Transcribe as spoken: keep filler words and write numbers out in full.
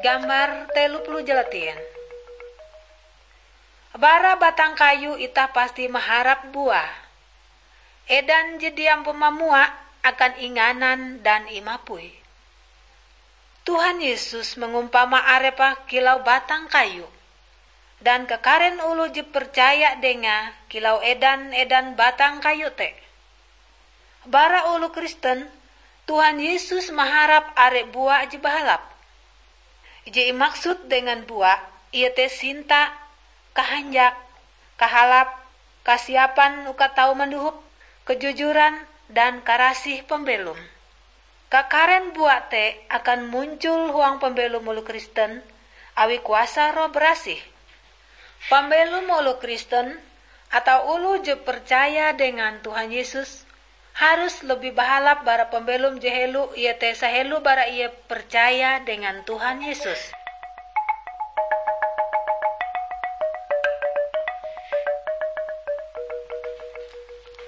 Gambar telu puluh jelatin. Bara batang kayu itah pasti maharap buah. Edan je diam mamua akan inganan dan imapui. Tuhan Yesus mangumpama arepe kilau batang kayu, dan kakaren oloh je percaya Dengae kilau edan-edan batang kayu te. Bara oloh Kristen, Tuhan Yesus maharap are buah je bahalap. Je imaksud dengan buah, iete sinta, kahanjak, kahalap, kasiapan uka tau mandohop, kejujuran, dan karasih pambelom. Kakaren buah te akan muncul huang pambelom oloh Kristen awi kuasa Roh Barasih. Pambelom oloh Kristen atau oloh je percaya dengan Tuhan Yesus harus lebih bahalap bara pambelom je helo, iete sahelo bara ie percaya dengan Tuhan Yesus.